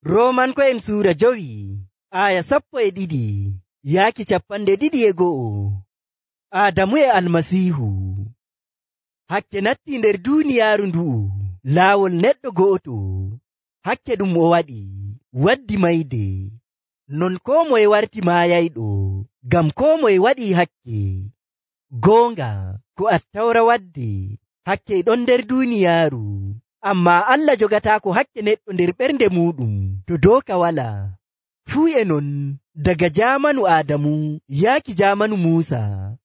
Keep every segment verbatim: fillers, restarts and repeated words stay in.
Roomanko'en suura jowi aya sappo e ɗiɗi yaaki cappande ɗiɗi e go'o. Aadamu e Almasiihu. Hakke natti nder duuniyaaru ndu'u laawol neɗɗo go'oto. Hakke ɗum o waɗi waddi mayde. Non koo moye warti maayayɗo ngam koo moye waɗii hakke. Goonga ko Attawra waddi hakke e ɗon nder duuniyaaru, ammaa Allah jogataako hakke neɗɗo nder ɓernde muuɗum to dooka walaa. Fuu e non daga jaamanu Aadamu yaaki jaamanu Muusa,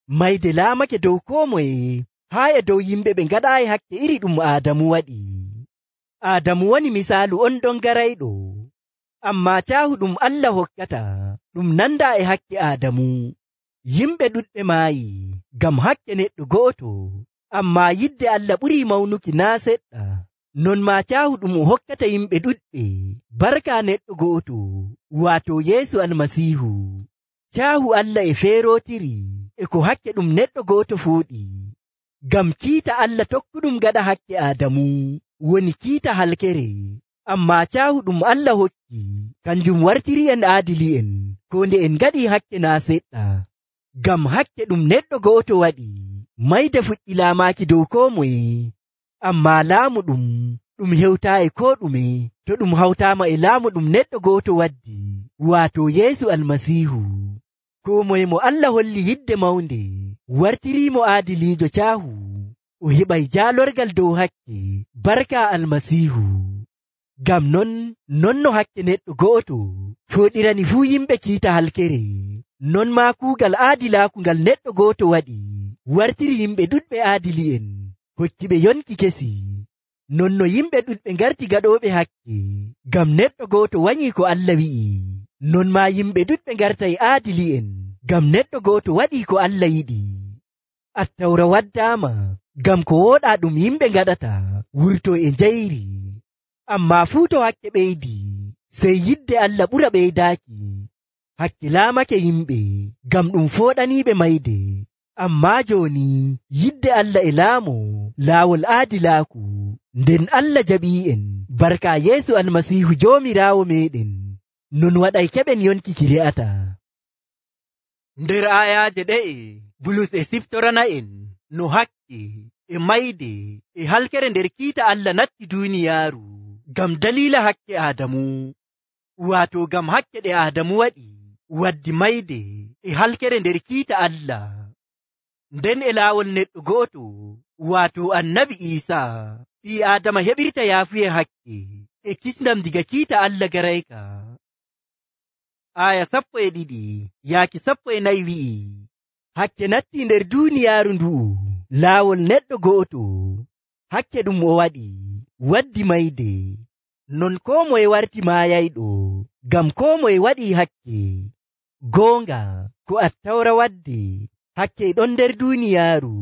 mayde laamake dow koo moye haa e dow yimɓe ɓe ngaɗaayi hakke iri ɗum Aadamu waɗi. Aadamu woni misaalu on ɗon garayɗo, ammaa caahu ɗum Allah hokkata ɗum nandaa e hakke Aadamu. Yimɓe ɗuɗɓe maayi ngam hakke neɗɗo go'oto, ammaa yidde Allah ɓurii mawnuki naa seɗɗa. Non maa caahu ɗum o hokkata yimɓe ɗuɗɓe barka neɗɗo go'oto, waato Yeesu Almasiihu. Caahu Allah e feerootiri e ko hakke ɗum neɗɗo go'oto fooɗi. Ngam kiita Allah tokkuɗum gaɗa hakke Aadamu woni kiita halkere, ammaa caahu ɗum Allah hokki kanjum wartiri'en aadili'en ko nde en ngaɗii hakke naa seɗɗa. Ngam hakke ɗum neɗɗo go'oto waɗi mayde fuɗɗi laamaaki dow koo moye, ammaa laamu ɗum ɗum hewtaayi koo ɗume to ɗum hawtaama e laamu ɗum neɗɗo go'oto waddi, waato Yeesu Almasiihu. Koo moye mo Allah holli yidde mawnde wartiriimo aadiliijo caahu, o heɓay jaalorgal dow hakke barka Almasiihu. Ngam non non no hakke neɗɗo go'oto fooɗirani fuu yimɓe kiita halkere, non maa kuugal aadilaaku ngal neɗɗo go'oto waɗi wartiri yimɓe ɗuɗɓe aadili'en hokkiɓe yonki kesi. Non no yimɓe ɗuɗɓe ngarti gaɗooɓe hakke ngam neɗɗo go'oto wanyii ko Allah wi'i, non maa yimɓe ɗuɗɓe ngartay aadili'en ngam neɗɗo go'oto waɗii ko Allah yiɗi. Attawra waddaama ngam ko wooɗaa ɗum yimɓe ngaɗata wurtoo e njayri, ammaa fuu to hakke ɓeydi sey yidde Allah ɓura ɓeydaaki. Hakke laamake yimɓe ngam ɗum fooɗaniiɓe mayde, ammaa jooni yidde Allah e laamo laawol aadilaaku, nden Allah jaɓii'en barka Yeesu Almasiihu Joomiraawo meeɗen. Non waɗay keɓen yonki ki re'ata. Nder aayaaje ɗe'e Bulus e siftorana'en no hakke e mayde e halkere nder kiita Allah natti duuniyaaru ngam daliila hakke Aadamu, waato ngam hakke ɗe Aadamu waɗi waddi mayde e halkere nder kiita Allah. Nden e laawol neɗɗo go'oto waato Annabi Iisaa, ɓii Aadama heɓirta yaafuye hakke e kisndam diga kiita Allah garayka. Aya sappo e ɗiɗi yaaki sappo e nayi wi'i, hakke natti nder duuniyaaru ndu'u laawol neɗɗo go'oto. Hakke ɗum o waɗi waddi mayde. Non koo moye warti maayayɗo ngam koo moye waɗii hakke. Goonga ko Attawra waddi hakke e ɗon nder duuniyaaru,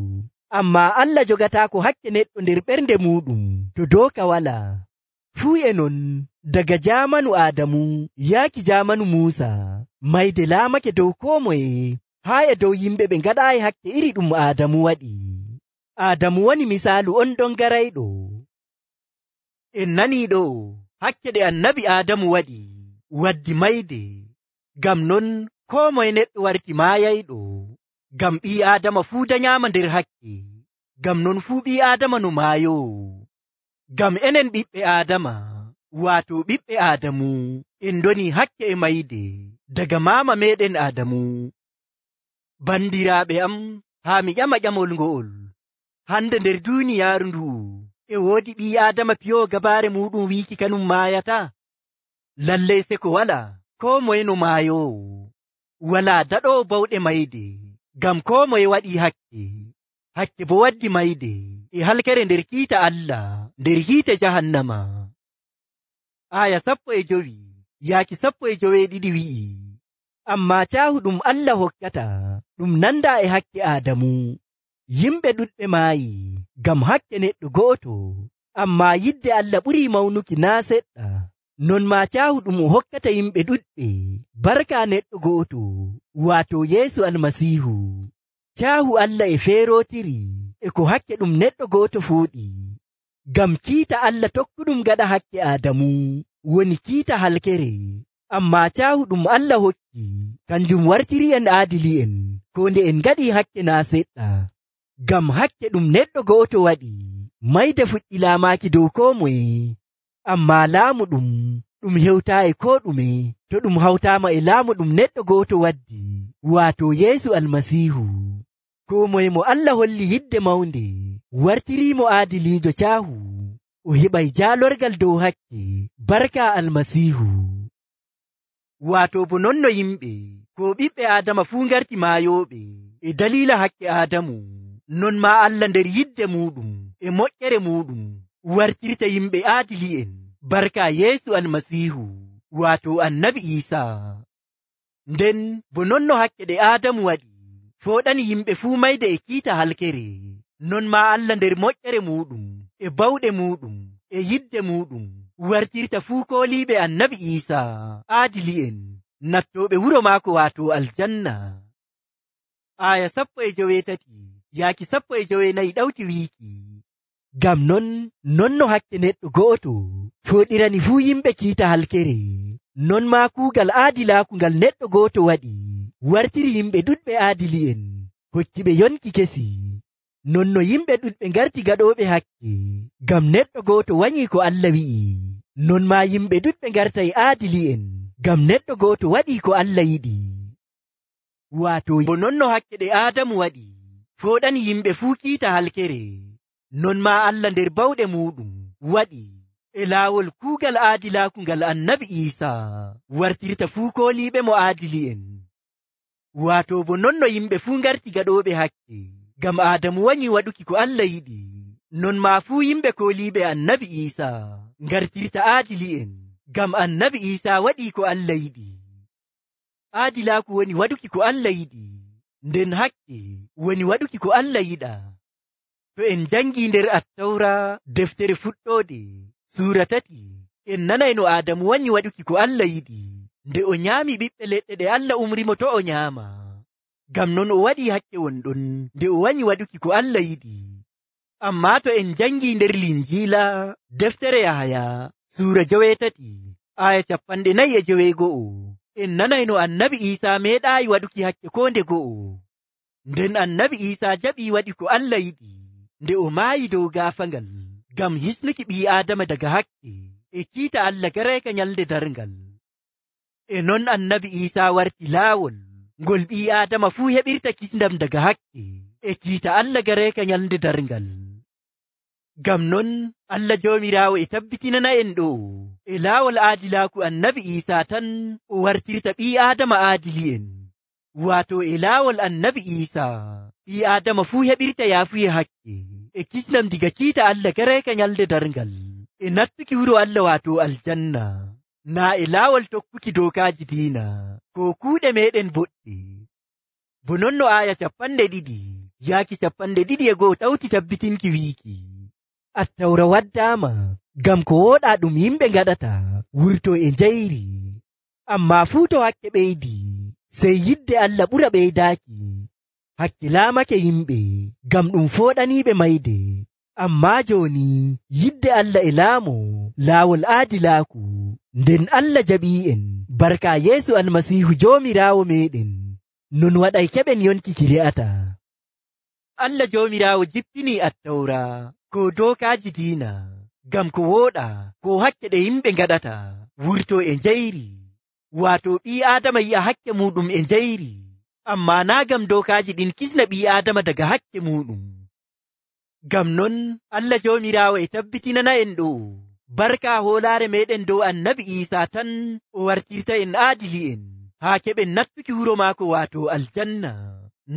ammaa Allah jogataako hakke neɗɗo nder ɓernde muuɗum to dooka walaa. Fuu e non daga jaamanu Aadamu yaaki jaamanu Muusa, mayde laamake dow koo moye haa e dow yimɓe ɓe ngaɗaayi hakke iri ɗum Aadamu waɗi. Aadamu woni misaalu on ɗon garayɗo. En nanii ɗo hakke ɗe Annabi Aadamu waɗi waddi mayde. Ngam non koo moye neɗɗo warti maayayɗo, ngam ɓii Aadama fuu danyaama nder hakke. Ngam non fuu ɓii Aadama no maayowo. Ngam enen ɓiɓɓe Aadama, waato ɓiɓɓe Aadamu, en ndonii hakke e mayde daga maama meeɗen Aadamu. Bandiraaɓe am, haa mi ƴama ƴamol ngo'ol. Hande nder duuniyaaru ndu'u e woodi ɓii Aadama piyoowo gabaare muuɗum wiiki kanum maayata? Lallay se ko walaa, koo moye no maayowo. Walaa daɗoowo bawɗe mayde, ngam koo moye waɗii hakke. Hakke bo waddi mayde e halkere nder kiita Allah nder hiite jahannama. Aya sappo e jowi yaaki sappo e joweeɗiɗi wi'i, ammaa caahu ɗum Allah hokkata ɗum nandaa e hakke Aadamu. Yimɓe ɗuɗɓe maayi ngam hakke neɗɗo go'oto, ammaa yidde Allah ɓurii mawnuki naa seɗɗa. Non maa caahu ɗum o hokkata yimɓe ɗuɗɓe barka neɗɗo go'oto, waato Yeesu Almasiihu. Caahu Allah e feerootiri e ko hakke ɗum neɗɗo go'oto fooɗi. Ngam kiita Allah tokkuɗum gaɗa hakke Aadamu, woni kiita halkere, ammaa caahu ɗum Allah hokki kanjum wartiri en aadili'en ko nde en ngaɗi hakke naa seɗɗa. Ngam hakke ɗum neɗɗo go'oto waɗi mayde fuɗɗi laamaaki dow koo moye, ammaa laamu ɗum ɗum hewtaayi koo ɗume to ɗum hawtaama e laamu ɗum neɗɗo go'oto waddi, waato Yeesu Almasiihu. Koo moye mo Allah holli yidde mawnde wartiriimo aadiliijo caahu, o heɓay jaalorgal dow hakke barka Almasiihu. Waato bo non no yimɓe ko ɓiɓɓe Aadama fuu ngarti maayooɓe e daliila hakke Aadamu, non maa Allah nder yidde muuɗum e moƴƴere muuɗum wartirta yimɓe aadili'en barka Yeesu Almasiihu, waato Annabi Iisaa. Nden bo non no hakke ɗe Aadamu waɗi fooɗani yimɓe fuu mayde e kiita halkere, non maa Allah nder moƴƴere muuɗum e bawɗe muuɗum e yidde muuɗum wartirta fuu kooliiɓe Annabi Iisaa aadili'en nattooɓe wuro maako waato aljanna. Aya sappo e joweetati yaaki sappo e jowenayi ɗawti wiiki, ngam non non no hakke neɗɗo go'oto fooɗirani fuu yimɓe kiita halkere, non maa kuugal aadilaaku ngal neɗɗo go'oto waɗi wartiri yimɓe ɗuɗɓe aadili'en hokkiɓe yonki kesi. Non no yimɓe ɗuɗɓe ngarti gaɗooɓe hakke ngam neɗɗo go'oto wanyii ko Allah wi'i, non maa yimɓe ɗuɗɓe ngartay aadili'en ngam neɗɗo go'oto waɗii ko Allah yiɗi. Waato bo non no hakke ɗe Aadamu waɗi fooɗani yimɓe fuu kiita halkere, non maa Allah nder bawɗe muuɗum waɗi e laawol kuugal aadilaaku ngal Annabi Iisaa wartirta fuu kooliiɓe mo aadili'en. Waato bo non no yimɓe fuu ngarti gaɗooɓe hakke ngam Aadamu wanyii waɗuki ko Allah yiɗi, non maa fuu yimɓe kooliiɓe Annabi Iisaa ngartirta aadili'en ngam Annabi Iisaa waɗii ko Allah yiɗi. Aadilaaku woni waɗuki ko Allah yiɗi, nden hakke woni waɗuki ko Allah yiɗa. To en jangii nder Attawra deftere fuɗɗoode suura tati, en nanay no Aadamu wanyi waɗuki ko Allah yiɗi nde o nyaami ɓiɓɓe leɗɗe ɗe Allah umrimo to o nyaama. Ngam non o waɗii hakke wonɗon nde o wanyi waɗuki ko Allah yiɗi. Ammaa to en jangii nder Linjiila deftere Yahaya suura joweetati aya capanɗe nayi e joweego'o, en nanay no Annabi Iisaa meeɗaayi waɗuki hakke koo nde go'o. Nden Annabi Iisaa jaɓii waɗi ko Allah yiɗi nde o maayi dow gaafangal ngam hisnuki ɓii Aadama daga hakke e kiita Allah gareeka nyalnde darngal. E non Annabi Iisaa warti laawol ngol ɓii Aadama fuu heɓirta kisndam daga hakke e kiita Allah gareeka nyalnde darngal. Ngam non Allah Joomiraawo e tabbitinana en ɗo e laawol aadilaaku Annabi Iisaa tan o wartirta ɓii Aadama aadili'en, waato e laawol Annabi Iisaa ɓii Aadama fuu heɓirta yaafuye hakke e kisnam diga kiita Allah gareeka nyalde darngal e nattuki wuro Allah waato aljanna, naa e laawol tokkuki dookaaji diina ko kuuɗe meeɗen boɗɗe. Bo non no aya capanɗe ɗiɗi yaaki capanɗe ɗiɗi e go'o ɗawti tabbitinki wiiki, Attawra waddaama ngam ko wooɗaa ɗum yimɓe ngaɗata wurto e njayri, ammaa fuu to hakke ɓeydi sey yidde Allah ɓura ɓeydaaki. Hakke laamake yimɓe ngam ɗum fooɗaniiɓe mayde, ammaa jooni yidde Allah e laamo laawol aadilaaku, nden Allah jaɓii'en barka Yeesu Almasiihu Joomiraawo meeɗen, non waɗay keɓen yonki ki re'ata. Allah Joomiraawo jippinii Attawra ko dookaaji diina ngam ko wooɗa ko hakke ɗe yimɓe ngaɗata wurto e njayri, waato ɓii Aadama yi'a hakke muuɗum e njayri, ammaa naa ngam dookaaji ɗin kisna ɓii Aadama daga hakke muuɗum. Ngam non Allah Joomiraawo e tabbitinana en ɗo barka hoolaare meeɗen dow Annabi Iisaa tan o wartirta en aadili'en haa keɓen nattuki wuro maako waato aljanna,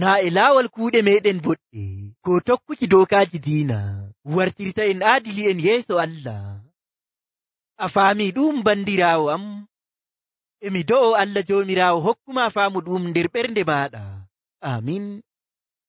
naa e laawol kuuɗe meeɗen boɗɗe ko tokkuki dookaaji diina wartirta en aadili'en yeeso Allah. A faamii ɗum bandiraawo am? Emi do'o Allah Joomiraawo hokkuma faamu ɗum nder ɓernde maaɗa. Amin.